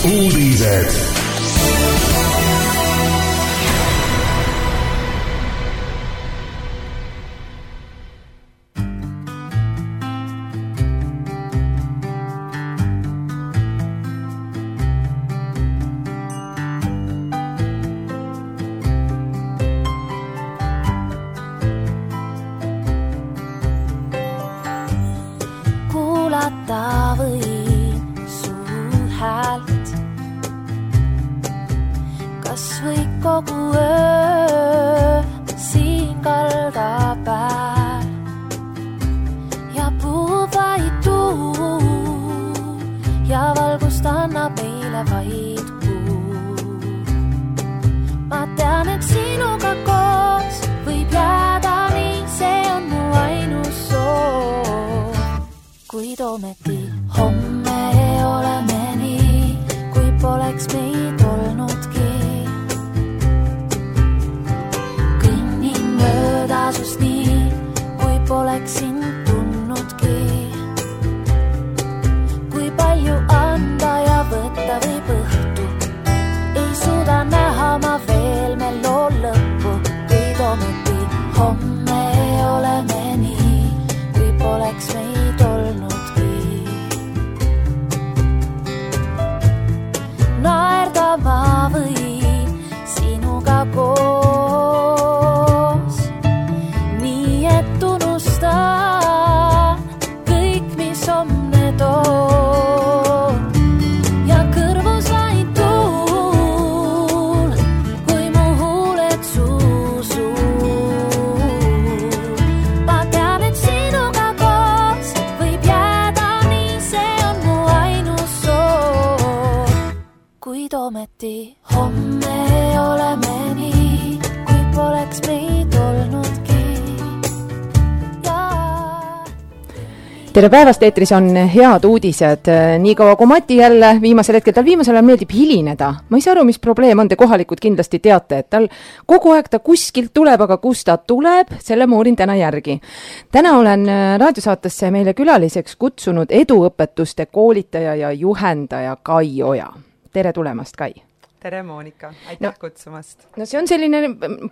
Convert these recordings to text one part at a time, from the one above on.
uudised. Kuulata võin su häält, kas või kogu öö siin kalda pääl ja puhub vaid tuul ja valgust annab meile vaid kuu. Ma tean, et sinuga koos võib jääda nii, see on mu ainus soov. Kuid ometi homme oleme nii, kui poleks meid olnudki. Kõnnin mööda sust nii, kui poleks sind tundnudki. Kui palju anda ja võtta võib õhtu, ei suuda näha ma veel me loo lõppu. Kuid ometi homme oleme nii, kui poleks meid olnudki. Naerda ma võin sinuga koos, nii et unustan kõik, mis homne toon. Ja kõrvus vaid tuul, kui mu huuled suusul. Ma tean, et sinuga koos võib jääda nii, see on mu ainus soov. Kuid ometi homme oleme nii, kui poleks meid olnudki. Tere päevast, eetris on head uudised. Nii kaua kui Mati jälle viimasel ajal meeldib hilineda. Ma ei saa aru, mis probleem on, te kohalikud kindlasti teate, et tal kogu aeg ta kuskilt tuleb, aga kus ta tuleb, selle ma uurin täna järgi. Täna olen raadiosaatesse meile külaliseks kutsunud eduõpetuste koolitaja ja juhendaja Kai Oja. Tere tulemast, Kai! Tere, Moonika! Aitäh kutsumast! No see on selline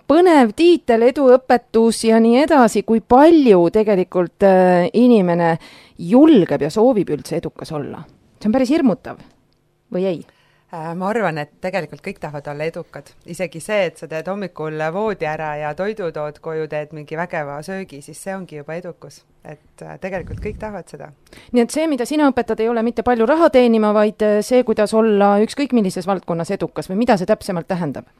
põnev tiitel, eduõpetus ja nii edasi, kui palju tegelikult inimene julgeb ja soovib üldse edukas olla. See on päris hirmutav, või ei? Ma arvan, et tegelikult kõik tahavad olla edukad. Isegi see, et sa teed hommikul voodi ära ja toidu tood koju, teed mingi vägeva söögi, siis see ongi juba edukus. Et tegelikult kõik tahavad seda. Nii et see, mida sina õpetad, ei ole mitte palju raha teenima, vaid see, kuidas olla ükskõik millises valdkonnas edukas või mida see täpsemalt tähendab?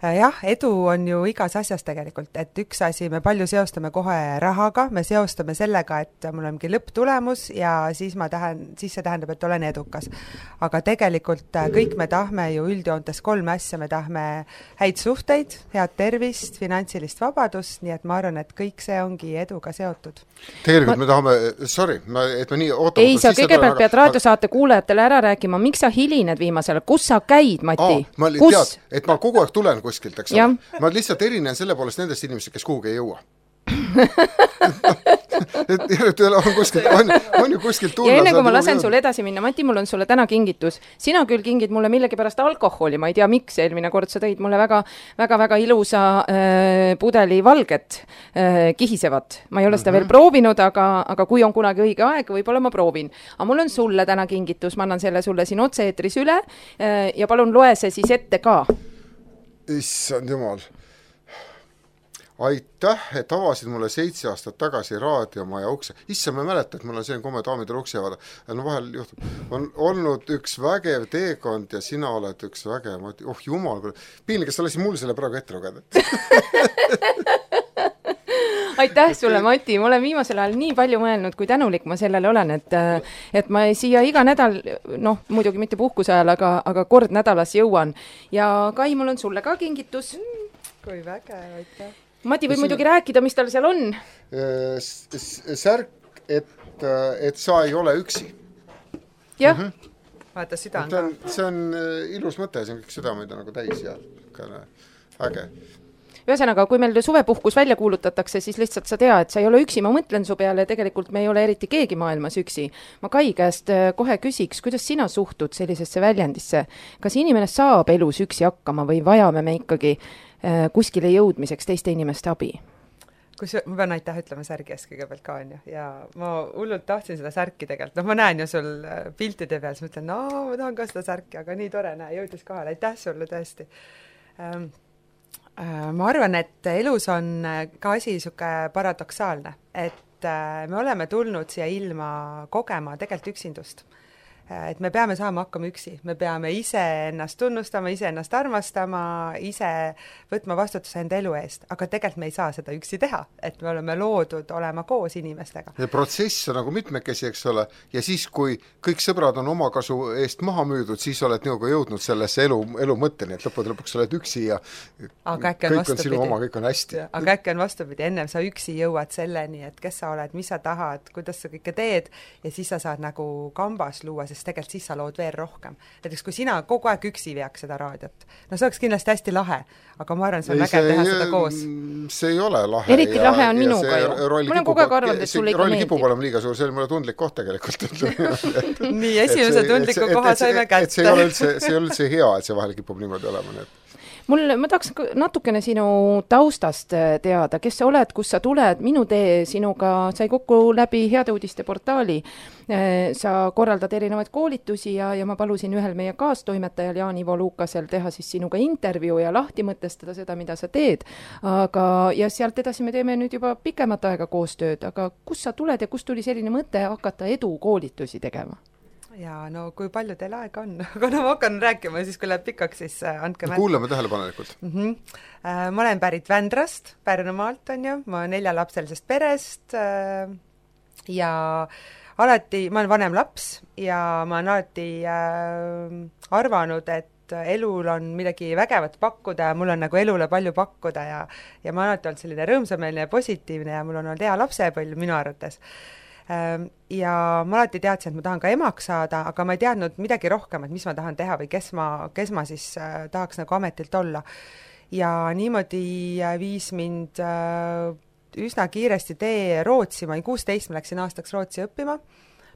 Jah, edu on ju igas asjas tegelikult, et üks asi, me palju seostame kohe rahaga, me seostame sellega, et mul on mingi lõpptulemus ja siis see tähendab, et olen edukas. Aga tegelikult kõik me tahme ju üldjoontes 3 asja, me tahme häid suhteid, head tervist, finantsilist vabadust, nii et ma arvan, et kõik see ongi eduga seotud. Tegelikult me tahame, et me nii ootame. Ei, sa kõigepealt pead raadiosaate kuulajatele ära rääkima, miks sa hilined viimasele, kus sa käid, Mati? Ma tead, et ma kogu aeg tulen kuskilt, eks ole. Ma lihtsalt erinen selle poolest nendest inimesed, kes kuhugi ei jõua. on ju kuskilt tulla. Ja enne kui ma lasen sul edasi minna, Mati, mul on sulle täna kingitus. Sina küll kingid mulle millegipärast alkoholi, ma ei tea miks, eelmine kord sa tõid mulle väga ilusa pudeli valget kihisevat. Ma ei ole seda veel proovinud, aga kui on kunagi õige aeg, võib-olla ma proovin. Aga mul on sulle täna kingitus, ma annan selle sulle siin otse-eetris üle ja palun loe see siis ette ka. Issand jumal. Aitäh, et avasid mulle 7 aastat tagasi raadiomaja ukse. Issa ma mäleta, et mul on selline komme daamidele ukse avada. No vahel juhtub. On olnud üks vägev teekond ja sina oled üks vägev. Oh jumal, piinlik, kas sa lasid mul selle praegu ette lugeda? Aitäh sulle, Mati. Ma olen viimasel ajal nii palju mõelnud, kui tänulik ma sellele olen, et ma siia iga nädal, muidugi mitte puhkuse ajal, aga kord nädalas jõuan. Ja Kai, mul on sulle ka kingitus. Kui vägev, aitäh. Mati võib muidugi rääkida, mis tal seal on. Särk, et sa ei ole üksi. Jah. Vaata süda on see on ilus mõte, see on kõik südameid nagu täis ja äge. ühesõnaga, kui meil suvepuhkus välja kuulutatakse, siis lihtsalt sa tead, et sa ei ole üksi, ma mõtlen su peale, tegelikult me ei ole eriti keegi maailmas üksi. Ma Kai käest kohe küsiks, kuidas sina suhtud sellisesse väljendisse? Kas inimene saab elus üksi hakkama või vajame me ikkagi kuskile jõudmiseks teiste inimeste abi? Ma pean aitäh ütlema särgi ees kõigepealt ka, on ju, ja ma hullult tahtsin seda särki tegelikult, ma näen ju sul piltide peal, siis mõtlen, ma tahan ka seda särki, aga nii tore, jõudis kohale, aitäh sulle tõesti. Ma arvan, et elus on ka asi niisugune paradoksaalne, et me oleme tulnud siia ilma kogema tegelikult üksindust. Et me peame saama hakkama üksi, me peame ise ennast tunnustama, ise ennast armastama, ise võtma vastutuse enda elu eest, aga tegelikult me ei saa seda üksi teha, et me oleme loodud olema koos inimestega. Ja protsess on nagu mitmekesi, eks ole, ja siis, kui kõik sõbrad on oma kasu eest maha müüdud, siis oled nagu jõudnud sellesse elu mõtteni, et lõpuks oled üksi ja kõik on sinu oma, kõik on hästi. Aga äkki on vastupidi, ennem sa üksi jõuad selleni, et kes sa oled, mis sa tahad, kuidas sa kõike teed ja siis sa saad nagu kambas luua, sest tegelikult siis sa lood veel rohkem. Näiteks kui sina kogu aeg üksi veaks seda raadiot, no see oleks kindlasti hästi lahe, aga ma arvan, see on vägev teha seda koos. See ei ole lahe. Eriti lahe on minuga ju. Mul on kogu aeg arvanud, et sulle ikka meeldib. Rolli kipub olema liiga suur, see oli mulle tundlik koht tegelikult. Nii, esimese tundliku koha saime kätte. See ei ole üldse hea, et see vahel kipub niimoodi olema. Ma tahaks natukene sinu taustast teada, kes sa oled, kus sa tuled, minu tee sinuga sai kokku läbi Heade Uudiste portaali. Sa korraldad erinevaid koolitusi ja ma palusin ühel meie kaastoimetajal Jaan-Ivo Luukasel teha siis sinuga intervjuu ja lahti mõtestada seda, mida sa teed. Ja sealt edasi me teeme nüüd juba pikemat aega koostööd, aga kus sa tuled ja kus tuli selline mõte hakata edukoolitusi tegema? Ja no kui palju teil aega on, aga ma hakkan rääkima, siis kui läheb pikaks, siis andke märku. Kuulame tähelepanelikult. Ma olen pärit Vändrast, Pärnumaalt on ju, ma 4-lapselisest perest ja alati, ma olen vanem laps ja ma olen alati arvanud, et elul on midagi vägevat pakkuda ja mul on nagu elule palju pakkuda ja ma olen alati olnud selline rõõmsameelne ja positiivne ja mul on olnud hea lapsepõlv minu arvates. Ja ma alati teadsin, et ma tahan ka emaks saada, aga ma ei teadnud midagi rohkem, et mis ma tahan teha või kes ma siis tahaks nagu ametilt olla. Ja niimoodi viis mind üsna kiiresti tee Rootsi, ma olin 16, ma läksin aastaks Rootsi õppima.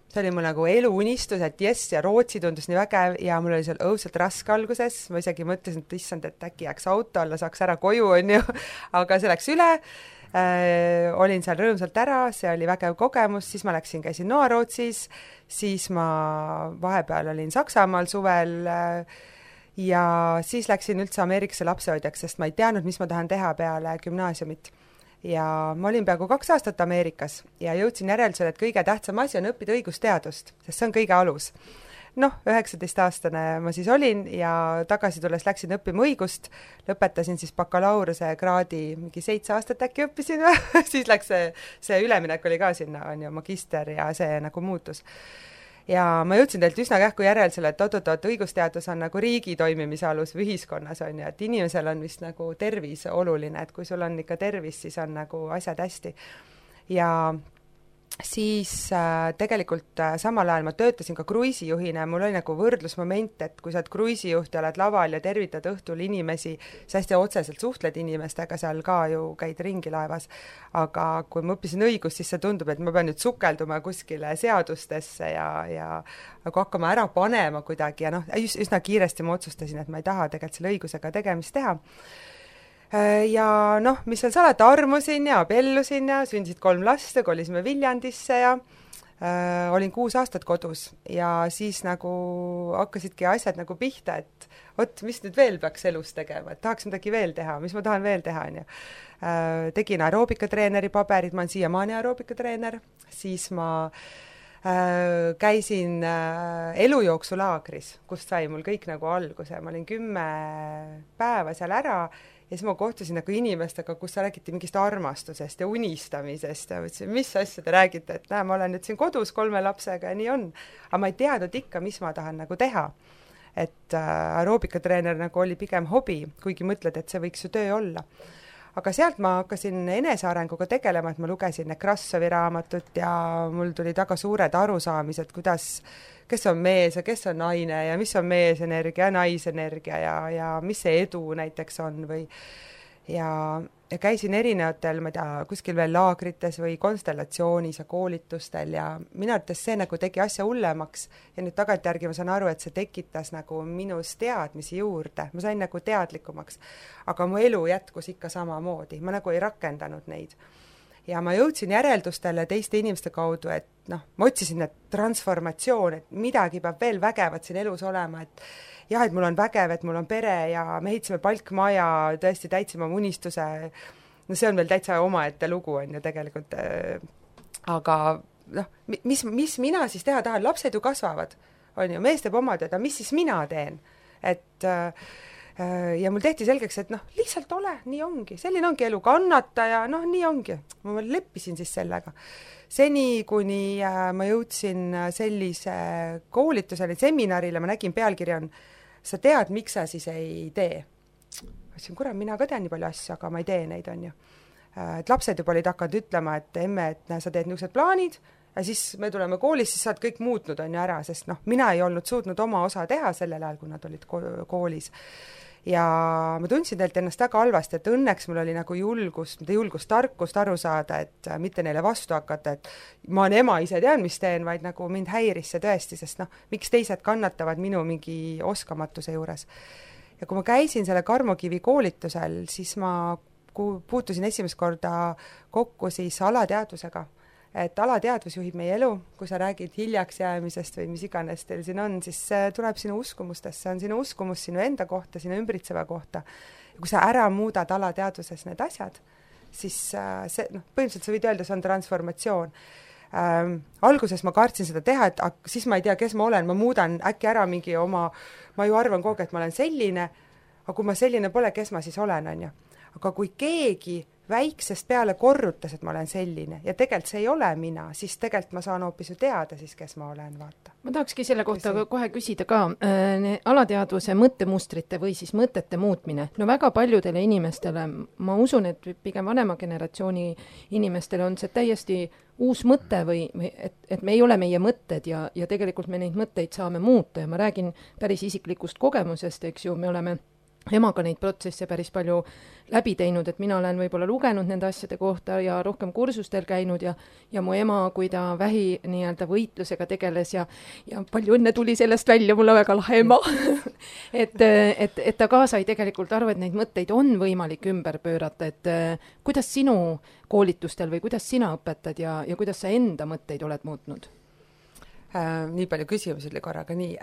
See oli mul nagu eluunistus, et jess, ja Rootsi tundus nii vägev ja mul oli seal õudselt raske alguses, ma isegi mõtlesin, et issand, et äkki jääks auto alla, saaks ära koju, on ju, aga see läks üle. Olin seal rõõmsalt ära, see oli vägev kogemus, siis ma käisin Noa-Rootsis, siis ma vahepeal olin Saksamaal suvel ja siis läksin üldse Ameerikasse lapsehoidjaks, sest ma ei teadnud, mis ma tahan teha peale gümnaasiumit. Ja ma olin peaaegu 2 aastat Ameerikas ja jõudsin järeldusele, et kõige tähtsam asi on õppida õigusteadust, sest see on kõige alus. 19-aastane ma siis olin ja tagasi tulles läksin õppima õigust, lõpetasin siis bakalaureuse kraadi, mingi 7 aastat äkki õppisin, siis läks see üleminek oli ka sinna, on ju, magister ja see nagu muutus. Ja ma jõudsin teilt üsna kähku järeldusele, et oot, õigusteadus on nagu riigi toimimise alus või ühiskonnas, on ju, et inimesel on vist nagu tervis oluline, et kui sul on ikka tervis, siis on nagu asjad hästi. Ja siis tegelikult samal ajal ma töötasin ka kruiisijuhina ja mul oli nagu võrdlusmoment, et kui sa oled kruiisijuht ja oled laval ja tervitad õhtul inimesi, sa hästi otseselt suhtled inimestega, seal ka ju käid ringi laevas, aga kui ma õppisin õigust, siis see tundub, et ma pean nüüd sukelduma kuskile seadustesse ja nagu hakkama ära panema kuidagi ja üsna kiiresti ma otsustasin, et ma ei taha tegelikult selle õigusega tegemist teha. Ja mis seal salata, armusin ja abiellusin ja sündisid 3 last ja kolisime Viljandisse ja olin 6 aastat kodus ja siis nagu hakkasidki asjad nagu pihta, et mis nüüd veel peaks elus tegema, et tahaks midagi veel teha, mis ma tahan veel teha, on ju. Tegin aeroobikatreeneri paberid, ma olen siiamaani aeroobikatreener, siis ma käisin elujooksulaagris, kust sai mul kõik nagu alguse, ma olin 10 päeva seal ära ja siis ma kohtusin nagu inimestega, kus räägiti mingist armastusest ja unistamisest ja mõtlesin, mis asja te räägite, et ma olen nüüd siin kodus 3 lapsega ja nii on, aga ma ei teadnud ikka, mis ma tahan nagu teha. Et aeroobikatreener nagu oli pigem hobi, kuigi mõtled, et see võiks ju töö olla. Aga sealt ma hakkasin enesearenguga tegelema, et ma lugesin Nekrassovi raamatut ja mul tuli väga suured arusaamised, kes on mees ja kes on naine ja mis on meesenergia ja naisenergia ja mis see edu näiteks on ja käisin erinevatel, ma ei tea, kuskil veel laagrites või konstellatsioonis ja koolitustel ja minu arvates see nagu tegi asja hullemaks ja nüüd tagantjärgi ma saan aru, et see tekitas nagu minus teadmisi juurde, ma sain nagu teadlikumaks, aga mu elu jätkus ikka samamoodi, ma nagu ei rakendanud neid. Ja ma jõudsin järeldustele teiste inimeste kaudu, et noh, ma otsisin need transformatsioon, et midagi peab veel vägevat siin elus olema, et jah, et mul on vägev, et mul on pere ja me ehitasime palkmaja, tõesti täitsime oma unistuse, no see on veel täitsa omaette lugu, on ju tegelikult, aga noh, mis mina siis teha tahan, lapsed ju kasvavad, on ju, mees teeb oma tööd, mis siis mina teen, et ja mul tehti selgeks, et noh, lihtsalt ole, nii ongi, selline ongi elu, kannata ja noh, nii ongi. Ma leppisin siis sellega. Seni, kuni ma jõudsin sellise koolitusele, seminarile, ma nägin pealkirja on, sa tead, miks sa siis ei tee. Ma ütlesin, kurat, mina ka tean nii palju asju, aga ma ei tee neid, on ju. Et lapsed juba olid hakanud ütlema, et emme, et sa teed niisugused plaanid, ja siis me tuleme koolis, siis sa oled kõik muutnud, on ju ära, sest noh, mina ei olnud suutnud oma osa teha sellel ajal, kui nad olid koolis. Ja ma tundsin teilt ennast väga halvasti, et õnneks mul oli nagu julgust, tarkust aru saada, et mitte neile vastu hakata, et ma olen ema, ise tean, mis teen, vaid nagu mind häiris see tõesti, sest noh, miks teised kannatavad minu mingi oskamatuse juures. Ja kui ma käisin selle Karmo Kivi koolitusel, siis ma puutusin esimest korda kokku siis alateadvusega. Et alateadvus juhib meie elu, kui sa räägid hiljaks jäämisest või mis iganes teil siin on, siis see tuleb sinu uskumustest, see on sinu uskumus sinu enda kohta, sinu ümbritseva kohta. Ja kui sa ära muudad alateadvuses need asjad, siis see, noh, põhimõtteliselt sa võid öelda, see on transformatsioon. Alguses ma kartsin seda teha, et siis ma ei tea, kes ma olen, ma muudan äkki ära mingi oma, ma ju arvan kogu aeg, et ma olen selline, aga kui ma selline pole, kes ma siis olen, on ju. Aga kui keegi väiksest peale korrutas, et ma olen selline ja tegelikult see ei ole mina, siis tegelikult ma saan hoopis ju teada siis, kes ma olen, vaata. Ma tahakski selle kohta kohe küsida ka alateadvuse mõttemustrite või siis mõtete muutmine. No väga paljudele inimestele, ma usun, et pigem vanema generatsiooni inimestele on see täiesti uus mõte või et me ei ole meie mõtted ja tegelikult me neid mõtteid saame muuta ja ma räägin päris isiklikust kogemusest, eks ju, me oleme emaga neid protsesse päris palju läbi teinud, et mina olen võib-olla lugenud nende asjade kohta ja rohkem kursustel käinud ja mu ema, kui ta vähi nii-öelda võitlusega tegeles ja palju õnne tuli sellest välja, mul on väga lahe ema. et ta ka sai tegelikult aru, et neid mõtteid on võimalik ümber pöörata, et kuidas sinu koolitustel või kuidas sina õpetad ja kuidas sa enda mõtteid oled muutnud? Nii palju küsimusi oli korraga nii.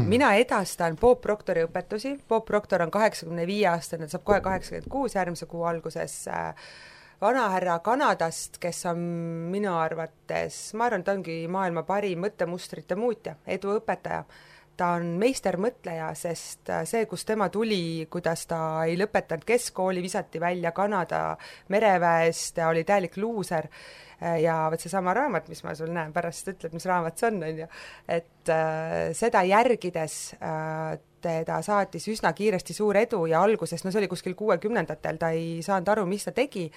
Mina edastan Bob Proctori õpetusi. Bob Proctor on 85 aastane, saab kohe 86 järgmise kuu alguses vanahärra Kanadast, kes on minu arvates, ma arvan, ta ongi maailma parim mõttemustrite muutja, eduõpetaja. Ta on meistermõtleja, sest see, kus tema tuli, kuidas ta ei lõpetanud keskkooli, visati välja Kanada mereväest, ta oli täielik luuser ja võt see sama raamat, mis ma sul näen, pärast ütled, mis raamat see on, ju. Et seda järgides teda saatis üsna kiiresti suur edu ja alguses, no see oli kuskil 60-ndatel, ta ei saanud aru, mis ta tegi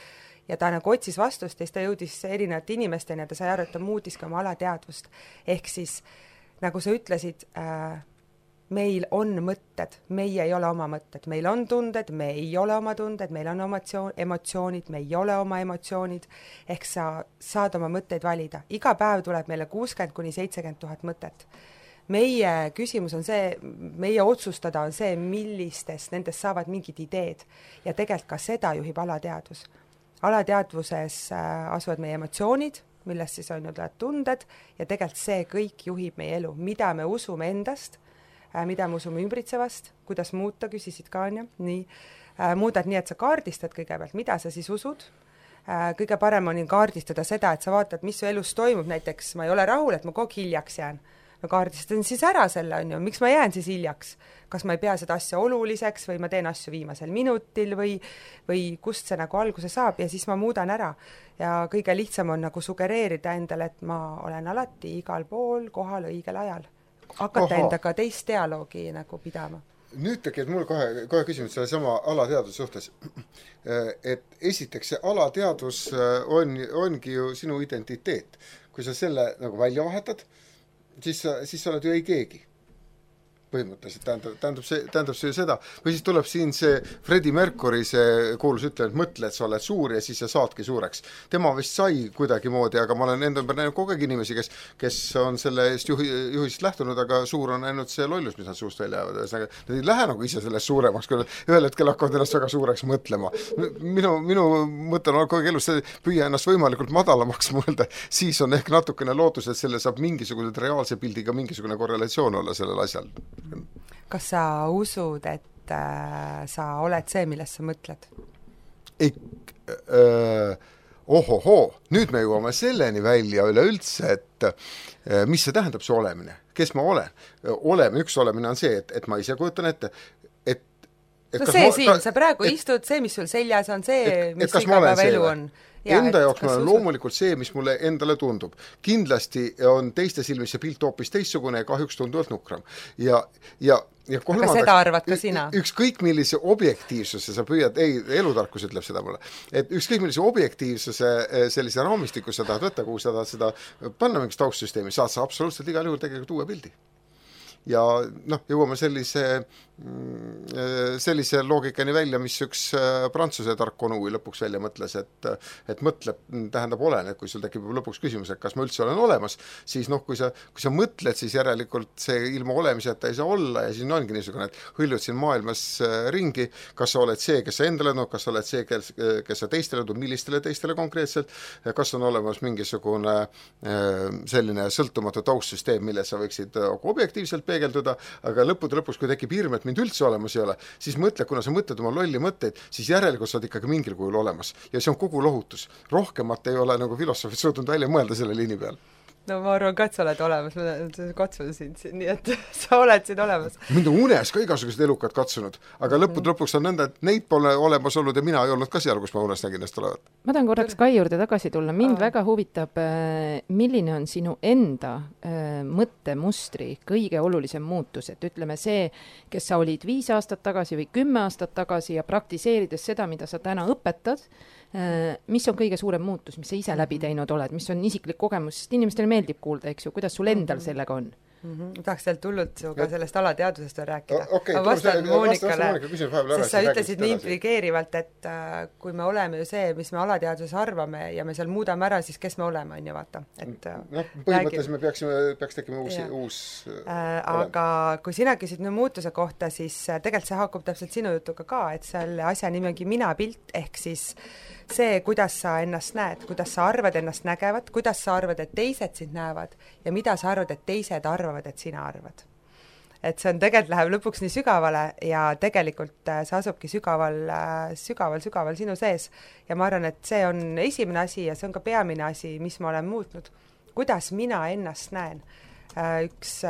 ja ta nagu otsis vastust ja siis ta jõudis erinevate inimesteni ja ta sai aru, et ta muutis ka oma alateadvust. Ehk siis nagu sa ütlesid, meil on mõtted, meie ei ole oma mõtted, meil on tunded, me ei ole oma tunded, meil on emotsioonid, me ei ole oma emotsioonid, ehk sa saad oma mõtteid valida. Iga päev tuleb meile 60-70 000 mõtet. Meie küsimus on see, meie otsustada on see, millistest nendest saavad mingid ideed ja tegelikult ka seda juhib alateadvus. Alateadvuses asuvad meie emotsioonid, millest siis on ju tunded ja tegelikult see kõik juhib meie elu, mida me usume endast, mida me usume ümbritsevast, kuidas muuta, küsisid ka, on ju, nii. Muudad nii, et sa kaardistad kõigepealt, mida sa siis usud. Kõige parem on kaardistada seda, et sa vaatad, mis su elus toimub, näiteks ma ei ole rahul, et ma kogu hiljaks jään. No kaardistan siis ära selle, on ju, miks ma jään siis hiljaks? Kas ma ei pea seda asja oluliseks või ma teen asju viimasel minutil või kust see nagu alguse saab ja siis ma muudan ära. Ja kõige lihtsam on nagu sugereerida endale, et ma olen alati igal pool kohal õigel ajal. Hakata endaga teist dialoogi nagu pidama. Nüüd tekib mul kohe küsimus selle sama alateadvuse suhtes. Et esiteks see alateadvus ongi ju sinu identiteet. Kui sa selle nagu välja vahetad, siis sa oled ju ei keegi. põhimõtteliselt tähendab see seda, või siis tuleb siin see Freddie Mercury, see kuulus ütleb, et mõtle, et sa oled suur ja siis sa saadki suureks. Tema vist sai kuidagimoodi, aga ma olen enda ümber näinud kogu aeg inimesi, kes on selle eest juhisest lähtunud, aga suur on ainult see lollus, mis nad suust välja jäävad. Nad ei lähe nagu ise sellest suuremaks, kui ühel hetkel hakkavad ennast väga suureks mõtlema. Minu mõte on kogu aeg elus, püüa ennast võimalikult madalamaks mõelda, siis on ehk natukene lootus, et selle saab mingisugune reaalse pildiga mingisugune korrelatsioon olla sellel asjal. Kas sa usud, et sa oled see, millest sa mõtled? Ohohoo, nüüd me jõuame selleni välja üleüldse, et mis see tähendab see olemine? Kes ma olen? Üks olemine on see, et ma ise kujutan ette, no see siin, sa praegu istud, see, mis sul seljas on, see, mis igapäeva elu on. Enda jaoks ma olen loomulikult see, mis mulle endale tundub. Kindlasti on teiste silmis see pilt hoopis teistsugune ja kahjuks tunduvalt nukram. Ja aga seda arvad ka sina? Ükskõik millise objektiivsuse sa püüad, elutarkus ütleb seda mulle, et ükskõik millise objektiivsuse sellise raamistiku sa tahad võtta, kuhu sa tahad seda panna mingis taustsüsteemi, saad sa absoluutselt igal juhul tegelikult uue pildi. Ja jõuame sellise loogikani välja, mis üks prantsuse tark konui lõpuks välja mõtles, et mõtleb, tähendab olen, et kui sul tekib lõpuks küsimus, et kas ma üldse olen olemas, siis kui sa mõtled, siis järelikult see ilma olemiseta ei saa olla ja siis ongi niisugune, et hõljud siin maailmas ringi, kas sa oled see, kes sa endale kas sa oled see, kes sa teistele millistele teistele konkreetselt, kas on olemas mingisugune selline sõltumatu taustsüsteem, mille sa võiksid objektiivselt peegelduda, aga lõpus, kui tekib hirm, et mind üldse olemas ei ole, siis mõtle, kuna sa mõtled oma lolli mõtteid, siis järelikult sa oled ikkagi mingil kujul olemas. Ja see on kogu lohutus. Rohkemat ei ole nagu filosoofid suutnud välja mõelda selle liini peal. No ma arvan ka, et sa oled olemas, ma katsun sind siin, nii et sa oled siin olemas. Mind on unes ka igasugused elukad katsunud, aga lõpuks on nõnda, et neid pole olemas olnud ja mina ei olnud ka seal, kus ma unes nägin ennast olevat. Ma tahan korraks Kai juurde tagasi tulla. Mind väga huvitab, milline on sinu enda mõttemustri kõige olulisem muutus, et ütleme see, kes sa olid 5 aastat tagasi või 10 aastat tagasi ja praktiseerides seda, mida sa täna õpetad, mis on kõige suurem muutus, mis sa ise läbi teinud oled, mis on isiklik kogemus, sest inimestele meeldib kuulda, eks ju, kuidas sul endal sellega on? Ma tahaks sealt hullult sinuga sellest alateadvusest rääkida. Ma vastan Moonikale, sest sa ütlesid nii impligeerivalt, et kui me oleme ju see, mis me alateadvuses arvame ja me seal muudame ära, siis kes me oleme, on ju, vaata. Põhimõtteliselt me peaks tekkima uus aga kui sina küsid muutuse kohta, siis tegelikult see haakub täpselt sinu jutuga ka, et selle asja nimi ongi mina-pilt, ehk siis see, kuidas sa ennast näed, kuidas sa arvad ennast nägevat, kuidas sa arvad, et teised sind näevad ja mida sa arvad, et teised arvavad, et sina arvad. Et see on tegelikult läheb lõpuks nii sügavale ja tegelikult see asubki sügaval sinu sees ja ma arvan, et see on esimene asi ja see on ka peamine asi, mis ma olen muutnud. Kuidas mina ennast näen? Üks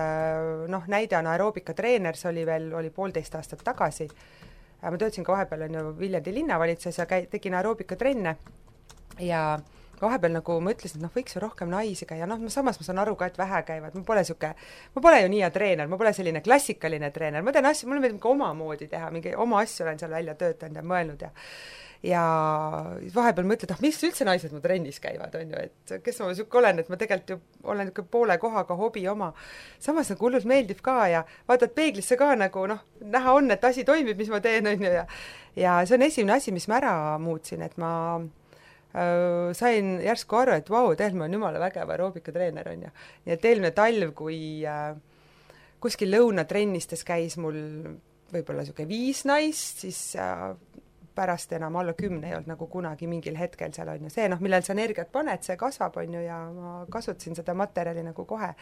näide on aeroobika treener, see oli 1,5 aastat tagasi. Ma töötasin ka vahepeal Viljandi linnavalitsuses ja tegin aeroobika trenne ja vahepeal nagu ma ütlesin, et võiks ju rohkem naisi käia, samas ma saan aru ka, et vähe käivad, ma pole ju nii hea treener, ma pole selline klassikaline treener, ma teen asju, mulle meeldib ka oma moodi teha, mingi oma asju olen seal välja töötanud ja mõelnud ja vahepeal mõtled, miks üldse naised mu trennis käivad, on ju, et kes ma siuke olen, et ma tegelikult ju olen poole kohaga hobi oma. Samas nagu hullult meeldib ka ja vaatad peeglisse ka nagu näha on, et asi toimib, mis ma teen, on ju, ja see on esimene asi, mis ma ära muutsin, et ma sain järsku aru, et vau, tegelikult ma olen jumala vägev aeroobika treener, on ju. Nii et eelmine talv, kui kuskil lõunatrennistes käis mul võib-olla siuke 5 naist, siis pärast enam alla 10 ei olnud nagu kunagi mingil hetkel seal on ju see, millel sa energiat paned, see kasvab on ju ja ma kasutasin seda materjali nagu kohe.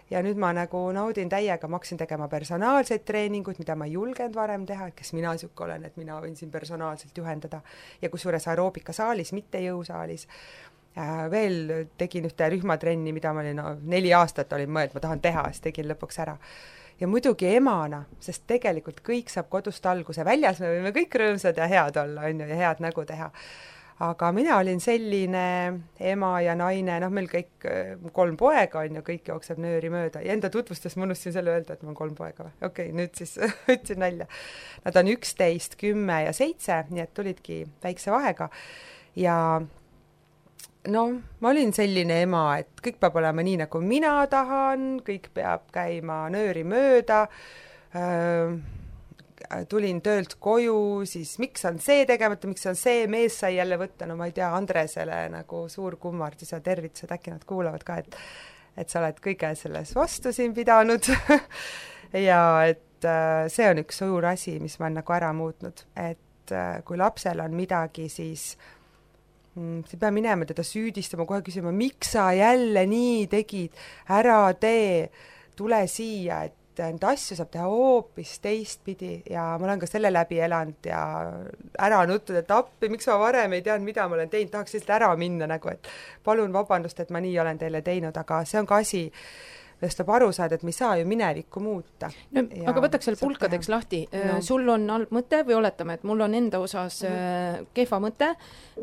Ja nüüd ma nagu naudin täiega, ma hakkasin tegema personaalseid treeninguid, mida ma ei julgenud varem teha, et kes mina siuke olen, et mina võin siin personaalselt juhendada ja kusjuures aeroobika saalis, mitte jõusaalis. Veel tegin ühte rühmatrenni, mida ma olin 4 aastat olin mõeld, ma tahan teha, siis tegin lõpuks ära. Ja muidugi emana, sest tegelikult kõik saab kodust alguse. Väljas me võime kõik rõõmsad ja head olla, on ju, ja head nägu teha. Aga mina olin selline ema ja naine, meil kõik 3 poega on ju, kõik jookseb nööri mööda. Ja enda tutvustas ma unustasin selle öelda, et ma 3 poega või. Okei, nüüd siis ütsin välja. Nad on 11, 10 ja 7, nii et tulidki väikse vahega. Ja ma olin selline ema, et kõik peab olema nii, nagu mina tahan, kõik peab käima nööri mööda, tulin töölt koju, siis miks on see tegemata, miks on see, mees sai jälle võtta, no ma ei tea, Andresele nagu suur kummardus ja tervitused, äkki nad kuulavad ka, et sa oled kõige selles vastu siin pidanud ja et see on üks suur asi, mis ma olen nagu ära muutnud, et kui lapsel on midagi, siis sa ei pea minema teda süüdistama, kohe küsima, miks sa jälle nii tegid, ära tee, tule siia, et neid asju saab teha hoopis teistpidi ja ma olen ka selle läbi elanud ja ära nuttud, et appi, miks ma varem ei teadnud, mida ma olen teinud, tahaks lihtsalt ära minna nagu, et palun vabandust, et ma nii olen teile teinud, aga see on ka asi, millest tuleb aru saada, et me ei saa ju minevikku muuta. No, aga võtaks seal pulkadeks lahti. No. Sul on halb mõte või oletame, et mul on enda osas kehva mõte,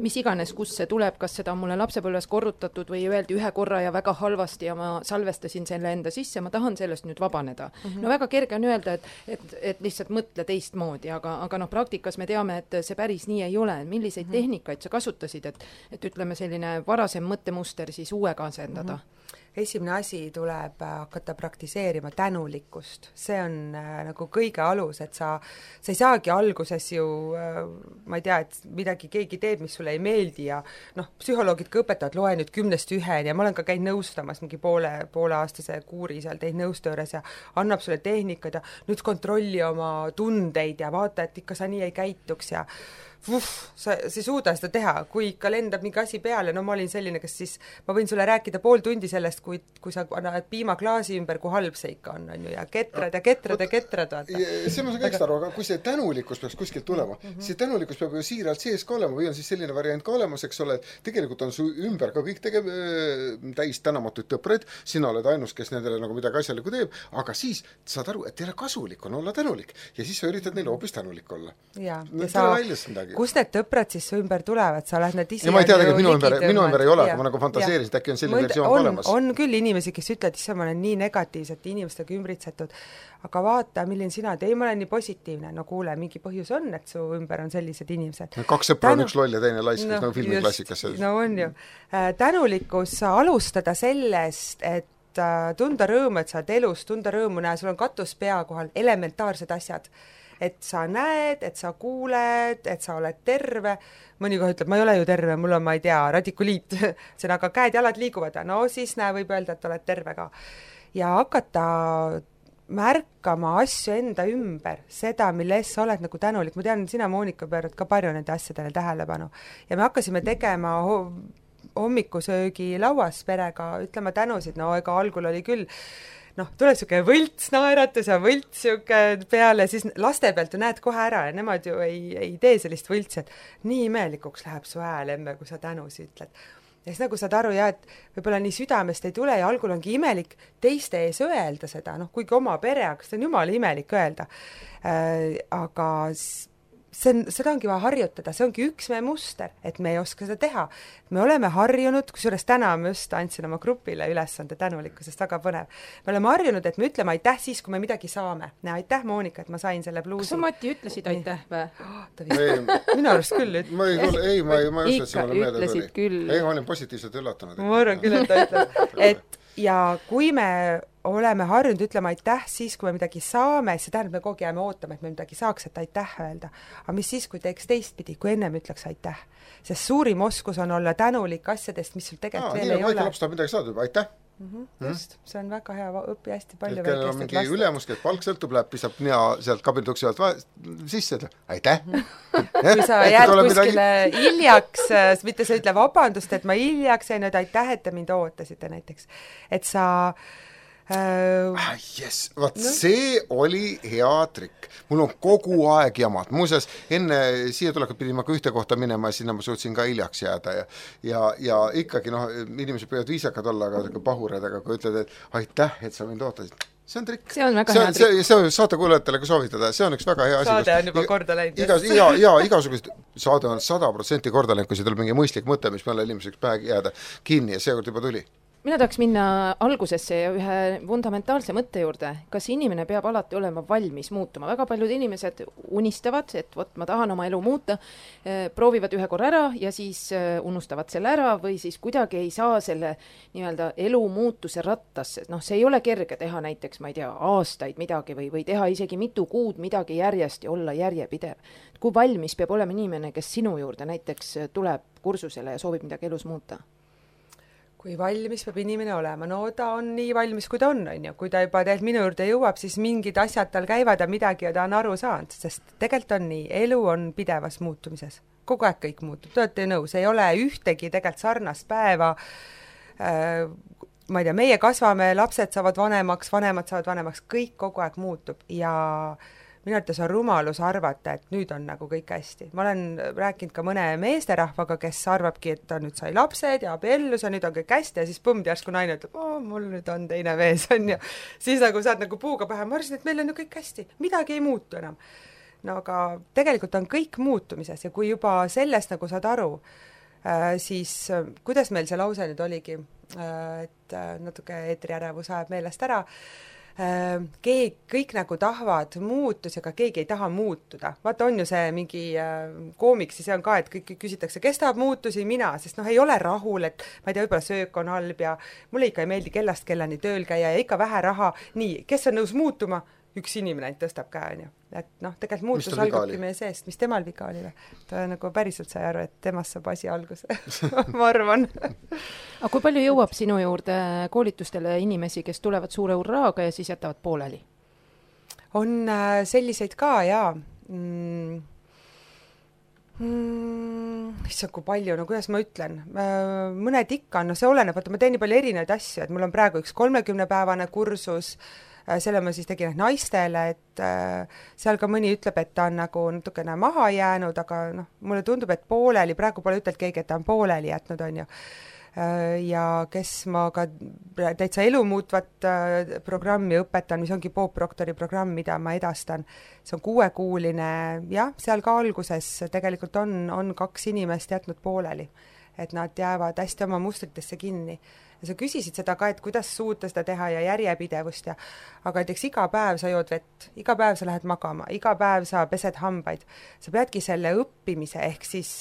mis iganes, kus see tuleb, kas seda on mulle lapsepõlves korrutatud või öeldi ühe korra ja väga halvasti ja ma salvestasin selle enda sisse, ma tahan sellest nüüd vabaneda. No väga kerge on öelda, et lihtsalt mõtle teistmoodi, aga praktikas me teame, et see päris nii ei ole. Milliseid tehnikaid sa kasutasid, et ütleme selline varasem mõttemuster siis uuega asendada? Esimene asi tuleb hakata praktiseerima tänulikkust. See on nagu kõige alus, et sa ei saagi alguses ju, ma ei tea, et midagi keegi teeb, mis sulle ei meeldi ja psühholoogid ka õpetavad, loe nüüd 10-1 ja ma olen ka käinud nõustamas mingi pooleaastase kuuri seal teid nõustööres ja annab sulle tehnikad ja nüüd kontrolli oma tundeid ja vaata, et ikka sa nii ei käituks ja sa ei suuda seda teha, kui ikka lendab mingi asi peale, no ma olin selline, kas siis ma võin sulle rääkida pool tundi sellest, kui sa annad piimaklaasi ümber, kui halb see ikka on ju, ja ketrad. Vaata. See ma saan kõik aru, aga kui see tänulikkus peaks kuskilt tulema, see tänulikkus peab ju siiralt sees ka olema või on siis selline variant ka olemas, eks ole, tegelikult on su ümber ka kõik täis tänamatuid tõpred, sina oled ainus, kes nendele nagu midagi asjalikku teeb, aga siis saad aru, et teile kasulik on olla tänulik ja siis sa üritad neile hoopis tänulik olla. Ja kus need tõprad siis su ümber tulevad, sa oled need ise ja ma ei tea, et minu ümber ei ole, aga ma nagu fantaseerisin, et äkki on selline versioon olemas. On küll inimesi, kes ütlevad, et ma olen nii negatiivsete inimestega ümbritsetud, aga vaata, milline sina oled, ei, ma olen nii positiivne, no kuule, mingi põhjus on, et su ümber on sellised inimesed. 2 sõpra on üks loll ja teine laisk, nagu filmiklassikas. No on ju. Tänulikkus alustada sellest, et tunda rõõmu, et sa oled elus, tunda rõõmu näha, sul on katus pea kohal, elementaarsed asjad. Et sa näed, et sa kuuled, et sa oled terve. Mõnikoh ütleb, ma ei ole ju terve, mul on, ma ei tea, radikuliit. See on aga käed-jalad liiguvad ja no siis võib öelda, et oled terve ka. Ja hakata märkama asju enda ümber, seda, mille eest sa oled nagu tänulik. Ma tean, sina, Moonika, pöörad ka palju nende asjadele tähelepanu. Ja me hakkasime tegema hommikusöögi lauas perega, ütlema tänusid, no ega algul oli küll tuleb siuke võlts naeratus ja võlts siuke peale, siis laste pealt ju näed kohe ära ja nemad ju ei tee sellist võltsi, et nii imelikuks läheb su hääl emme, kui sa tänusi ütled. Ja siis nagu saad aru, et võib-olla nii südamest ei tule ja algul ongi imelik teiste ees öelda seda, kuigi oma pere, aga see on jumala imelik öelda. Aga seda ongi vaja harjutada, see ongi üks meie muster, et me ei oska seda teha. Me oleme harjunud, kusjuures täna ma just andsin oma grupile ülesande tänulikkusest, väga põnev. Me oleme harjunud, et me ütleme aitäh siis, kui me midagi saame. Aitäh, Moonika, et ma sain selle pluusi. Kas sa, Mati, ütlesid aitäh või? Minu arust küll. Ma ei usu, et see mulle meelde tuli. Ei, ma olin positiivselt üllatunud. Ma arvan küll, et ta ütleb. Ja kui me oleme harjunud ütlema aitäh siis, kui me midagi saame, see tähendab, me kogu jääme ootama, et me midagi saaks, et aitäh öelda. Aga mis siis, kui teeks teistpidi, kui ennem ütleks aitäh? Sest suurim oskus on olla tänulik asjadest, mis sul tegelikult veel ei ole. Väike laps tahab midagi saada juba, aitäh! Just, see on väga hea, õpi hästi palju kellel on mingi ülemus, kes palk sõltub, läheb, pisab nea sealt kabinituksi alt sisse, aitäh! Kui sa jääd kuskile hiljaks, mitte sa ütle vabandust, et ma hiljaks jäin, aitäh, et te mind ootasite näiteks. Et sa see oli hea trikk. Mul on kogu aeg jamad. Muuseas, enne siia tulekut pidin ma ka ühte kohta minema ja sinna ma suutsin ka hiljaks jääda ja ikkagi inimesed võivad viisakad olla, aga pahured, aga kui ütled, et aitäh, et sa mind ootasid. See on trikk. See on väga hea trikk. See on saate kuulajatele ka soovitada. See on üks väga hea asi. Saade on juba korda läinud. Igasugused saade on 100% korda läinud, kui see tuleb mingi mõistlik mõte, mis meile inimeseks pähe jääda kinni ja seekord juba tuli. mina tahaks minna algusesse ja ühe fundamentaalse mõtte juurde. Kas inimene peab alati olema valmis muutuma? Väga paljud inimesed unistavad, et vot ma tahan oma elu muuta, proovivad ühe korra ära ja siis unustavad selle ära või siis kuidagi ei saa selle nii-öelda elu muutuse rattasse. Noh, see ei ole kerge teha näiteks, ma ei tea, aastaid midagi või teha isegi mitu kuud midagi järjest ja olla järjepidev. Kui valmis peab olema inimene, kes sinu juurde näiteks tuleb kursusele ja soovib midagi elus muuta? Kui valmis peab inimene olema? No ta on nii valmis, kui ta on ju. Kui ta juba tegelikult minu juurde jõuab, siis mingid asjad tal käivad ja midagi ja ta on aru saanud, sest tegelikult on nii, elu on pidevas muutumises. Kogu aeg kõik muutub, te olete nõus, ei ole ühtegi tegelikult sarnast päeva, ma ei tea, meie kasvame, lapsed saavad vanemaks, vanemad saavad vanemaks, kõik kogu aeg muutub ja minu arvates on rumalus arvata, et nüüd on nagu kõik hästi. Ma olen rääkinud ka mõne meesterahvaga, kes arvabki, et ta nüüd sai lapsed ja abiellus ja nüüd on kõik hästi ja siis põmm järsku naine ütleb, mul nüüd on teine mees, on ju. Siis nagu saad nagu puuga pähe, ma arvasin, et meil on ju kõik hästi, midagi ei muutu enam. No aga tegelikult on kõik muutumises ja kui juba sellest nagu saad aru, siis kuidas meil see lause nüüd oligi, et natuke eetriärevus ajab meelest ära, kõik nagu tahavad muutusi, aga keegi ei taha muutuda. Vaata, on ju see mingi koomiksi, see on ka, et kõik küsitakse, kes tahab muutusi, mina, sest ei ole rahul, et ma ei tea, võib-olla söök on halb ja mulle ikka ei meeldi kellast kellani tööl käia ja ikka vähe raha. Nii, kes on nõus muutuma? Üks inimene ainult tõstab käe, on ju. Et tegelikult muutus algabki meie seest. Mis temal viga oli? Ta nagu päriselt sai aru, et temast saab asi alguse. Ma arvan. Aga kui palju jõuab sinu juurde koolitustele inimesi, kes tulevad suure urraaga ja siis jätavad pooleli? On selliseid ka, jaa. Issand, kui palju, no kuidas ma ütlen? Mõned ikka, no see oleneb, vaata, ma teen nii palju erinevaid asju, et mul on praegu üks 30-päevane kursus, selle ma siis tegin naistele, et seal ka mõni ütleb, et ta on nagu natukene maha jäänud, aga mulle tundub, et pooleli, praegu pole ütelnud keegi, et ta on pooleli jätnud, on ju. Ja kes ma ka täitsa elumuutvat programmi õpetan, mis ongi Bob Proctori programm, mida ma edastan. See on 6-kuuline, jah, seal ka alguses tegelikult on 2 inimest jätnud pooleli, et nad jäävad hästi oma mustritesse kinni. Ja sa küsisid seda ka, et kuidas suuta seda teha ja järjepidevust ja aga näiteks iga päev sa jood vett, iga päev sa lähed magama, iga päev sa pesed hambaid. Sa peadki selle õppimise ehk siis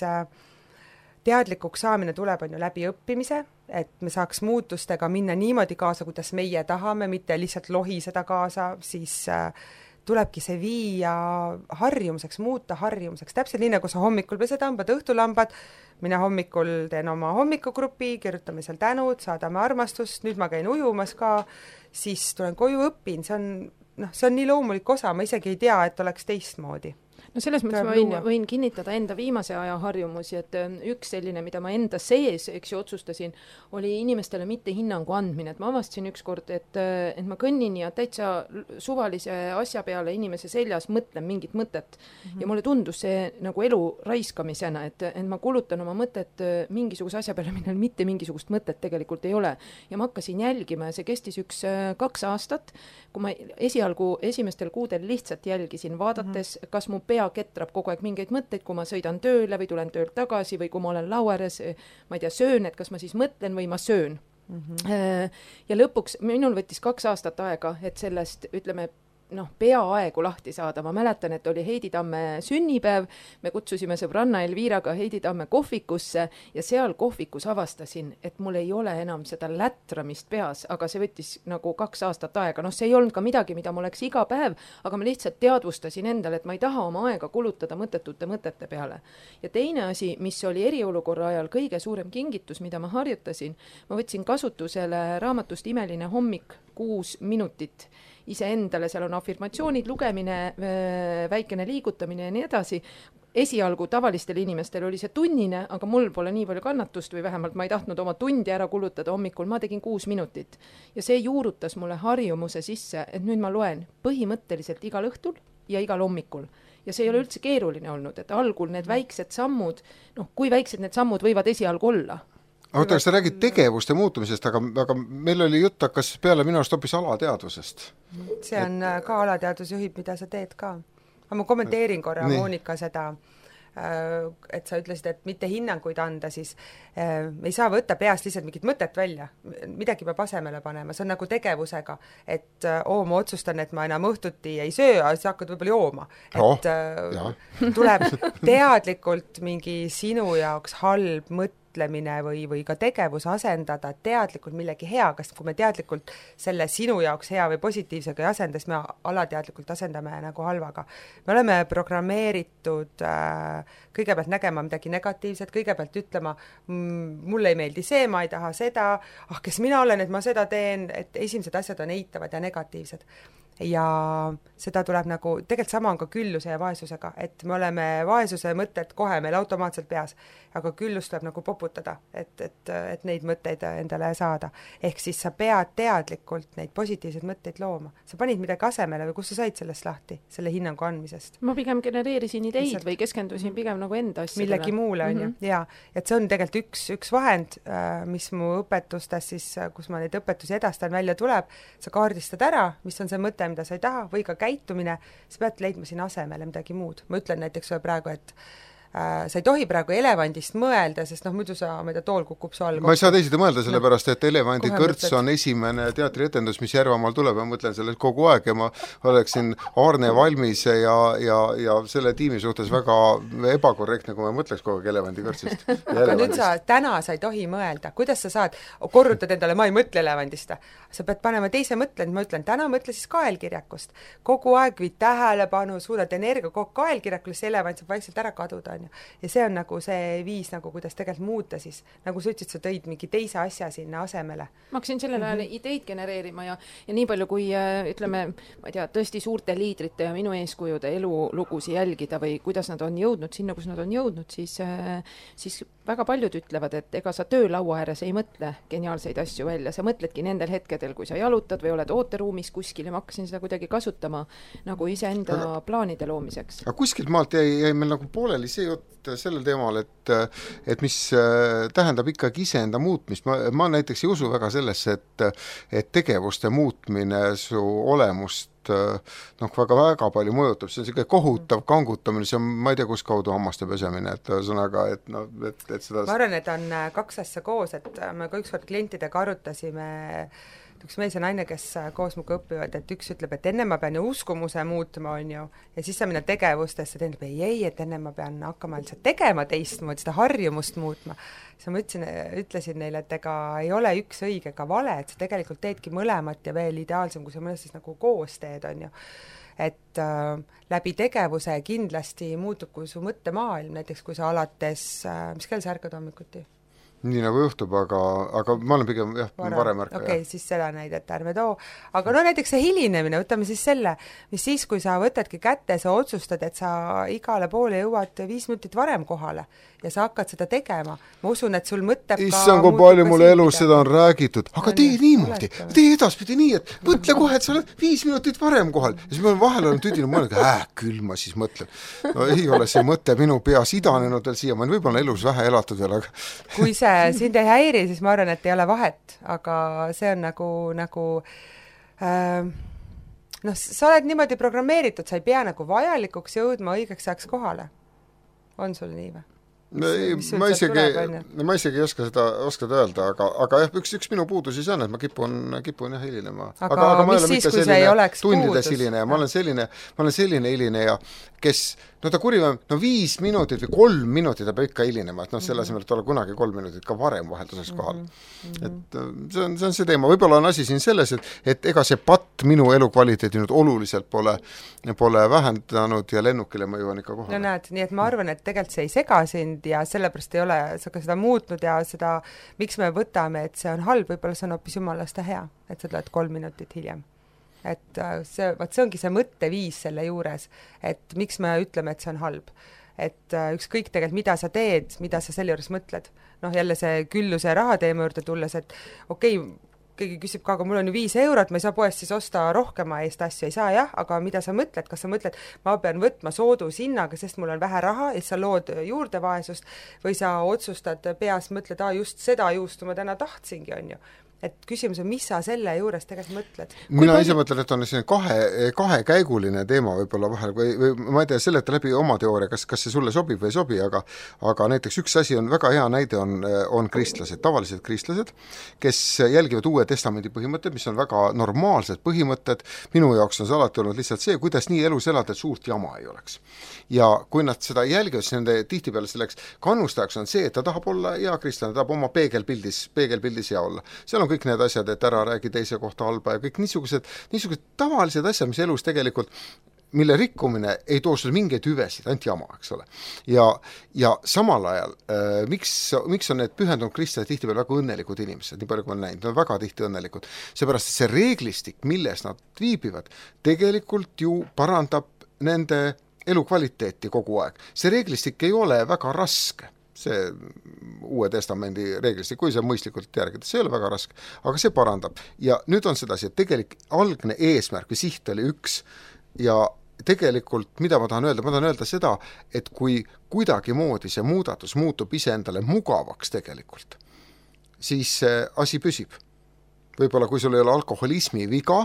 teadlikuks saamine tuleb on ju läbi õppimise, et me saaks muutustega minna niimoodi kaasa, kuidas meie tahame, mitte lihtsalt lohiseda kaasa, siis tulebki see viia harjumuseks, muuta harjumuseks. Täpselt nii, nagu sa hommikul pesed hambad, õhtul hambad, mina hommikul teen oma hommikugrupi, kirjutame seal tänud, saadame armastust, nüüd ma käin ujumas ka, siis tulen koju, õpin, see on nii loomulik osa, ma isegi ei tea, et oleks teistmoodi. No selles mõttes ma võin kinnitada enda viimase aja harjumusi, et üks selline, mida ma enda sees, eks ju, otsustasin, oli inimestele mitte hinnangu andmine, et ma avastasin ükskord, et ma kõnnin ja täitsa suvalise asja peale inimese seljas mõtlen mingit mõtet. Ja mulle tundus see nagu elu raiskamisena, et ma kulutan oma mõtet mingisuguse asja peale, millel mitte mingisugust mõtet tegelikult ei ole. Ja ma hakkasin jälgima ja see kestis 2 aastat, kui ma esialgu esimestel kuudel lihtsalt jälgisin, vaadates, kas mu pea ketrab kogu aeg mingeid mõtteid, kui ma sõidan tööle või tulen töölt tagasi või kui ma olen lauares, ma ei tea, söön, et kas ma siis mõtlen või ma söön. Ja lõpuks minul võttis 2 aastat aega, et sellest, ütleme, peaaegu lahti saada. Ma mäletan, et oli Heidi Tamme sünnipäev, me kutsusime sõbranna Elviraga Heidi Tamme kohvikusse ja seal kohvikus avastasin, et mul ei ole enam seda lätramist peas, aga see võttis nagu 2 aastat aega. See ei olnud ka midagi, mida ma oleks iga päev, aga ma lihtsalt teadvustasin endale, et ma ei taha oma aega kulutada mõttetute mõtete peale. Ja teine asi, mis oli eriolukorra ajal kõige suurem kingitus, mida ma harjutasin, ma võtsin kasutusele raamatust Imeline hommik 6 minutit iseendale, seal on afirmatsioonid, lugemine, väikene liigutamine ja nii edasi. Esialgu tavalistel inimestel oli see tunnine, aga mul pole nii palju kannatust või vähemalt ma ei tahtnud oma tundi ära kulutada hommikul, ma tegin 6 minutit. Ja see juurutas mulle harjumuse sisse, et nüüd ma loen põhimõtteliselt igal õhtul ja igal hommikul. Ja see ei ole üldse keeruline olnud, et algul need väiksed sammud, kui väiksed need sammud võivad esialgu olla. Aga sa räägid tegevuste muutumisest, aga meil oli jutt hakkas peale minu arust hoopis alateadvusest. See on ka alateadvus juhib, mida sa teed ka. Aga ma kommenteerin korra Moonika seda et sa ütlesid, et mitte hinnanguid anda, siis me ei saa võtta peast lihtsalt mingit mõtet välja, midagi peab asemele panema, see on nagu tegevusega, et ma otsustan, et ma enam õhtuti ei söö, siis hakkad võib-olla jooma. Et tuleb teadlikult mingi sinu jaoks halb mõtlemine või ka tegevus asendada teadlikult millegi heaga, sest kui me teadlikult selle sinu jaoks hea või positiivsega ei asenda, siis me alateadlikult asendame nagu halvaga. Me oleme programmeeritud kõigepealt nägema midagi negatiivset, kõigepealt ütlema, mulle ei meeldi see, ma ei taha seda, kes mina olen, et ma seda teen, et esimesed asjad on eitavad ja negatiivsed. Ja seda tuleb nagu, tegelikult sama on ka külluse ja vaesusega, et me oleme vaesuse mõtted kohe meil automaatselt peas, aga küllus tuleb nagu poputada, et neid mõtteid endale saada. Ehk siis sa pead teadlikult neid positiivseid mõtteid looma. Sa panid midagi asemele või kus sa said sellest lahti, selle hinnangu andmisest? Ma pigem genereerisin ideid või keskendusin pigem nagu enda asjadele. Millegi muule on ju, ja et see on tegelikult üks vahend, mis mu õpetustes siis, kus ma neid õpetusi edastan, välja tuleb, sa kaardistad ära, mis on see mõte, mida sa ei taha, või ka käitumine, sa pead leidma siin asemele midagi muud. Ma ütlen näiteks praegu, et sa ei tohi praegu elevandist mõelda, sest muidu tool kukub su all. Ma ei saa teisiti mõelda, sellepärast, et elevandi kõrts on esimene teatrietendus, mis Järvamaal tuleb ja mõtlen sellest kogu aeg ja ma oleksin Arne Valmise ja selle tiimi suhtes väga ebakorrektne, kui ma mõtleks kogu aeg elevandi kõrtsist. Aga nüüd täna sa ei tohi mõelda. Kuidas sa saad, korrutad endale, ma ei mõtle elevandist. Sa pead panema teise mõtlen, ma ütlen, täna mõtle siis kaelkirjakust. Kogu aeg viid tähelepanu, suudad energia kogu kaelkirjakule, see elevant saab vaikselt ära kaduda. Ja see on nagu see viis, nagu kuidas tegelikult muuta siis, nagu sa ütlesid, sa tõid mingi teise asja sinna asemele. Ma hakkasin sellel ajal ideid genereerima ja nii palju kui ütleme, ma ei tea, tõesti suurte liidrite ja minu eeskujude elulugusi jälgida või kuidas nad on jõudnud sinna, kus nad on jõudnud, siis väga paljud ütlevad, et ega sa töölaua ääres ei mõtle geniaalseid asju välja, sa mõtledki nendel hetkedel, kui sa jalutad või oled ooteruumis kuskil ja ma hakkasin seda kuidagi kasutama nagu iseenda plaanide loomiseks. Aga kuskilt maalt jäi meil nagu pooleli see jutt sellel teemal, et mis tähendab ikkagi iseenda muutmist. Ma näiteks ei usu väga sellesse, et tegevuste muutmine su olemust väga palju mõjutab, see on selline kohutav kangutamine, see on, ma ei tea, kus kaudu hammaste pesemine, et sõnaga, et seda... Ma arvan, et on kaks asja koos, et me ka ükskord klientidega arutasime, üks mees ja naine, kes koos muga õpivad, et üks ütleb, et enne ma pean ju uskumuse muutma, on ju, ja siis sa minna tegevustesse, ta ütleb, ei, et enne ma pean hakkama lihtsalt tegema teistmoodi, seda harjumust muutma. Siis ma ütlesin neile, et ega ei ole üks õige ega vale, et sa tegelikult teedki mõlemat ja veel ideaalsem, kui sa mõnes siis nagu koos teed, on ju. Et läbi tegevuse kindlasti muutub kui su mõttemaailm, näiteks kui sa alates, mis kell sa ärkad hommikuti? Nii nagu juhtub, aga ma olen pigem varem ärka. Okei, siis seda näidet ärme too. Aga näiteks see hilinemine, võtame siis selle, mis siis, kui sa võtadki kätte, sa otsustad, et sa igale poole jõuad 5 minutit varem kohale ja sa hakkad seda tegema. Ma usun, et sul mõtleb Issand, kui palju mulle elus seda on räägitud. Aga tee niimoodi, tee edaspidi nii, et mõtle kohe, et sa oled 5 minutit varem kohal. Ja siis ma vahel olen tüdinud mõelda, küll ma siis mõtlen. No ei ole see mõte minu peas idanenud veel siia, ma olen võib-olla elus vähe elatud veel, aga... Kui see sind ei häiri, siis ma arvan, et ei ole vahet, aga see on nagu sa oled niimoodi programmeeritud, sa ei pea nagu vajalikuks jõudma õigeks ajaks kohale. On sul nii või? Ma isegi ei oska seda öelda, aga üks minu puudusi see on, et ma kipun hilinema. Aga mis siis, kui see ei oleks puudus? Ma olen selline hilineja, kes, ta kurivam, 5 minutit või 3 minutit ta peab ikka hilinema, et selle asemel, et olla kunagi 3 minutit ka varem vahelduseks kohal. Et see on see teema. Võib-olla on asi siin selles, et ega see patt minu elukvaliteedi nüüd oluliselt pole vähendanud ja lennukile ma jõuan ikka kohale. No näed, nii et ma arvan, et tegelikult see ei sega sind ja sellepärast ei ole sa ka seda muutnud ja seda, miks me võtame, et see on halb, võib-olla see on hoopis jumalast hea, et sa tuled 3 minutit hiljem. Et see ongi see mõtteviis selle juures, et miks me ütleme, et see on halb. Et ükskõik tegelikult, mida sa teed, mida sa selle juures mõtled. Jälle see külluse raha teema juurde tulles, et keegi küsib ka, aga mul on ju 5 eurot, ma ei saa poest siis osta rohkema eest asju, ei saa jah, aga mida sa mõtled, kas sa mõtled, ma pean võtma soodushinnaga, sest mul on vähe raha, et sa lood juurde vaesust või sa otsustad peas, mõtled, just seda juustu ma täna tahtsingi, on ju. et küsimus on, mis sa selle juures tegelikult mõtled? Mina ise mõtlen, et on selline kahekäiguline teema võib-olla vahel või ma ei tea, seleta läbi oma teooria, kas see sulle sobib või ei sobi, aga näiteks üks asi on, väga hea näide on kristlased, tavalised kristlased, kes jälgivad Uue Testamendi põhimõtted, mis on väga normaalsed põhimõtted, minu jaoks on see alati olnud lihtsalt see, kuidas nii elus elada, et suurt jama ei oleks. Ja kui nad seda jälgivad, siis nende tihtipeale selleks kannustajaks on see, et ta tahab olla hea kristlane, ta tahab oma peegelpildis hea olla. Seal on kõik need asjad, et ära räägi teise kohta halba ja kõik niisugused tavalised asjad, mis elus tegelikult, mille rikkumine ei too sulle mingeid hüvesid, ainult jama, eks ole. Ja samal ajal, miks on need pühendunud kristlased tihtipeale väga õnnelikud inimesed, nii palju kui ma näinud, nad on väga tihti õnnelikud, seepärast, et see reeglistik, milles nad viibivad, tegelikult ju parandab nende elukvaliteeti kogu aeg. See reeglistik ei ole väga raske, see Uue Testamendi reeglistik, kui see mõistlikult järgida, see ei ole väga raske, aga see parandab. Ja nüüd on sedasi, et tegelikult algne eesmärk või siht oli üks ja tegelikult, mida ma tahan öelda seda, et kui kuidagimoodi see muudatus muutub iseendale mugavaks tegelikult, siis see asi püsib. Võib-olla kui sul ei ole alkoholismi viga,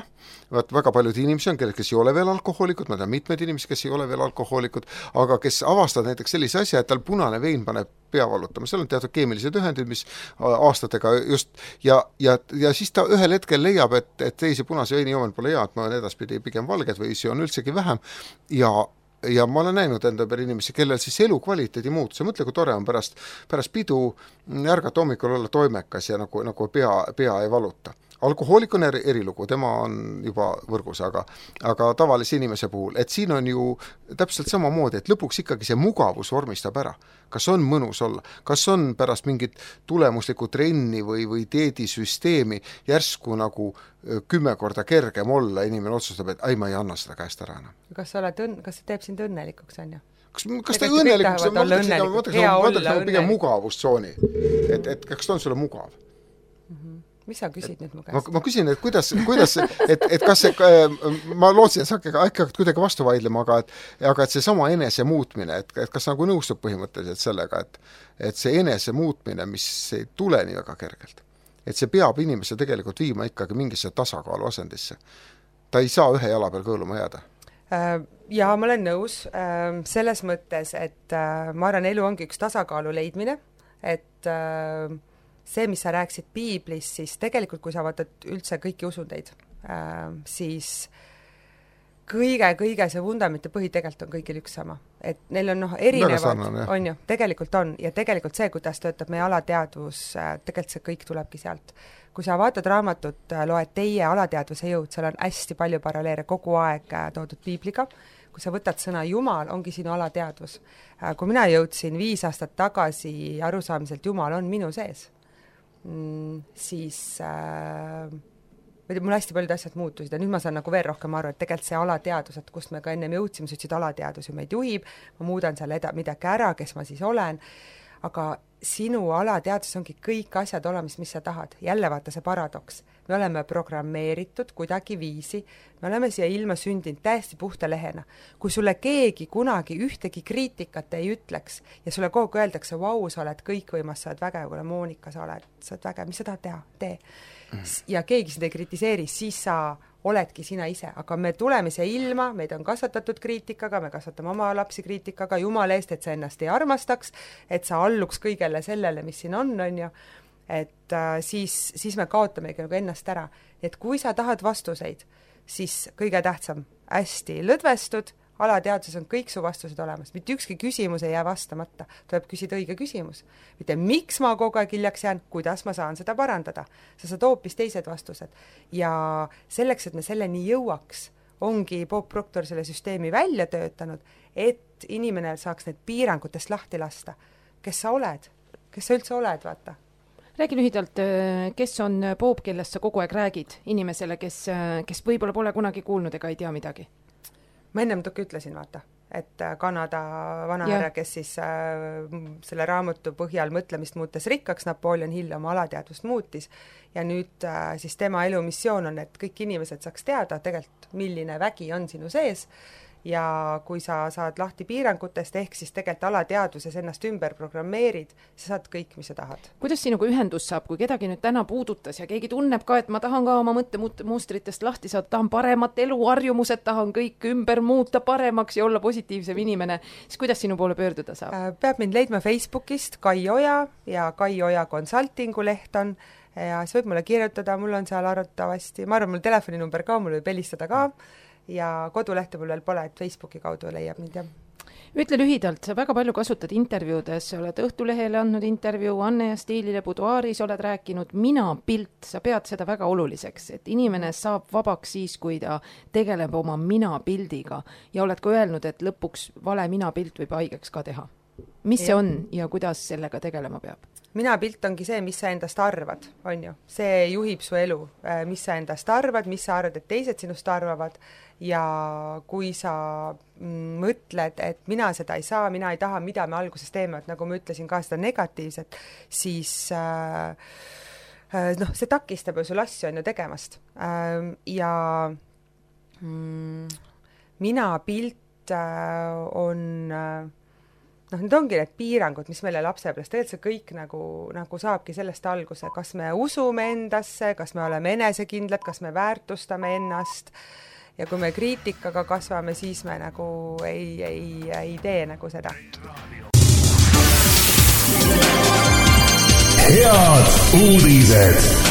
väga paljud inimesi on, kes ei ole veel alkohoolikud, ma tean mitmed inimesed, kes ei ole veel alkohoolikud, aga kes avastavad näiteks sellise asja, et tal punane vein paneb pea valutama, seal on teatud keemilised ühendid, mis aastatega just, ja siis ta ühel hetkel leiab, et teise punase veini joomine pole hea, et ma olen edaspidi pigem valged või see on üldsegi vähem ja ma olen näinud enda peale inimesi, kellel siis elukvaliteedi muutus, ja mõtle, kui tore on pärast pidu ärgata hommikul olla toimekas ja nagu pea ei valuta. Alkohoolik on erilugu, tema on juba võrgus, aga tavalise inimese puhul, et siin on ju täpselt samamoodi, et lõpuks ikkagi see mugavus vormistab ära. Kas on mõnus olla, kas on pärast mingit tulemuslikku trenni või dieedisüsteemi järsku nagu 10 korda kergem olla, inimene otsustab, et ma ei anna seda käest ära enam. Kas see teeb sind õnnelikuks, on ju? Kas ta õnnelikuks, ma mõtleks pigem mugavustsooni, et kas ta on sulle mugav? Mis sa küsid nüüd mu käest? Ma küsin, et kuidas et kas see, ma lootsin, et sa hakkad kuidagi vastu vaidlema, aga et see sama enese muutmine, et kas nagu nõustub põhimõtteliselt sellega, et see enese muutmine, mis ei tule nii väga kergelt, et see peab inimese tegelikult viima ikkagi mingisse tasakaalu asendisse. Ta ei saa ühe jala peal kõõluma jääda. Ja ma olen nõus selles mõttes, et ma arvan, elu ongi üks tasakaalu leidmine, et see, mis sa rääksid piiblis, siis tegelikult, kui sa vaatad üldse kõiki usundeid, siis kõige see vundamenti põhi tegelikult on kõigil üks sama. Et neil on erinevad, on ju, tegelikult on, ja tegelikult see, kuidas töötab meie alateadvus, tegelikult see kõik tulebki sealt. Kui sa vaatad raamatut, loed teie alateadvuse jõud, seal on hästi palju paralleele kogu aeg toodud piibliga. Kui sa võtad sõna Jumal, ongi sinu alateadvus. Kui mina jõudsin 5 aastat tagasi arusaamiselt Jumal on minu sees, siis mul hästi paljud asjad muutusid ja nüüd ma saan nagu veel rohkem aru, et tegelikult see alateadus, et kust me ka ennem jõudsime, sa ütlesid alateadus ju meid juhib, ma muudan seal midagi ära, kes ma siis olen, aga sinu alateadus ongi kõik asjad olemas, mis sa tahad. Jälle vaata see paradoks. Me oleme programmeeritud kuidagi viisi, me oleme siia ilma sündinud täiesti puhta lehena. Kui sulle keegi kunagi ühtegi kriitikat ei ütleks ja sulle kogu öeldakse, vau, sa oled kõikvõimas, sa oled vägev, kuule Moonika, sa oled vägev, mis sa tahad teha? Tee. Ja keegi seda ei kritiseeri, siis sa oledki sina ise, aga me tuleme siia ilma, meid on kasvatatud kriitikaga, me kasvatame oma lapsi kriitikaga, Jumala eest, et sa ennast ei armastaks, et sa alluks kõigele sellele, mis siin on ju, et siis me kaotamegi nagu ennast ära. Et kui sa tahad vastuseid, siis kõige tähtsam, hästi lõdvestud, alateadvuses on kõik su vastused olemas, mitte ükski küsimus ei jää vastamata, tuleb küsida õige küsimus. Mitte miks ma kogu aeg hiljaks jään, kuidas ma saan seda parandada. Sa saad hoopis teised vastused. Ja selleks, et me selleni jõuaks, ongi Bob Proctor selle süsteemi välja töötanud, et inimene saaks need piirangutest lahti lasta. Kes sa oled? Kes sa üldse oled, vaata? Räägi lühidalt, kes on Bob, kellest sa kogu aeg räägid inimesele, kes võib-olla pole kunagi kuulnud ega ei tea midagi? Ma ennem ütlesin, vaata, et Kanada vanahärra, kes siis selle raamatu põhjal mõtlemist muutes rikkaks, Napoleon Hill oma alateadvust muutis ja nüüd siis tema elumissioon on, et kõik inimesed saaks teada tegelikult, milline vägi on sinu sees ja kui sa saad lahti piirangutest, ehk siis tegelikult alateadvuses ennast ümber programmeerid, sa saad kõik, mis sa tahad. Kuidas sinuga ühendus saab, kui kedagi nüüd täna puudutas ja keegi tunneb ka, et ma tahan ka oma mõttemustritest lahti saada, tahan paremat eluharjumused, tahan kõik ümber muuta paremaks ja olla positiivsem inimene, siis kuidas sinu poole pöörduda saab? Peab mind leidma Facebookist Kai Oja ja Kai Oja Consultingu leht on ja siis võib mulle kirjutada, mul on seal arvatavasti, ma arvan, mul telefoninumber ka, mul võib helistada ka ja kodulehte mul veel pole, et Facebooki kaudu leiab mind, jah. Ütle lühidalt, sa väga palju kasutad intervjuudes, sa oled Õhtulehele andnud intervjuu, Anne ja Stiilile Buduaaris oled rääkinud, mina-pilt, sa pead seda väga oluliseks, et inimene saab vabaks siis, kui ta tegeleb oma mina-pildiga ja oled ka öelnud, et lõpuks vale mina-pilt võib haigeks ka teha. Mis see on ja kuidas sellega tegelema peab? Mina-pilt ongi see, mis sa endast arvad, on ju. See juhib su elu, mis sa endast arvad, mis sa arvad, et teised sinust arvavad ja kui sa mõtled, et mina seda ei saa, mina ei taha, mida me alguses teeme, et nagu ma ütlesin ka seda negatiivset, siis see takistab ju sul asju on ju tegemast. Ja mina-pilt on need ongi need piirangud, mis meile lapsepõlves, tegelikult see kõik nagu saabki sellest alguse, kas me usume endasse, kas me oleme enesekindlad, kas me väärtustame ennast ja kui me kriitikaga kasvame, siis me nagu ei tee nagu seda. Head uudised!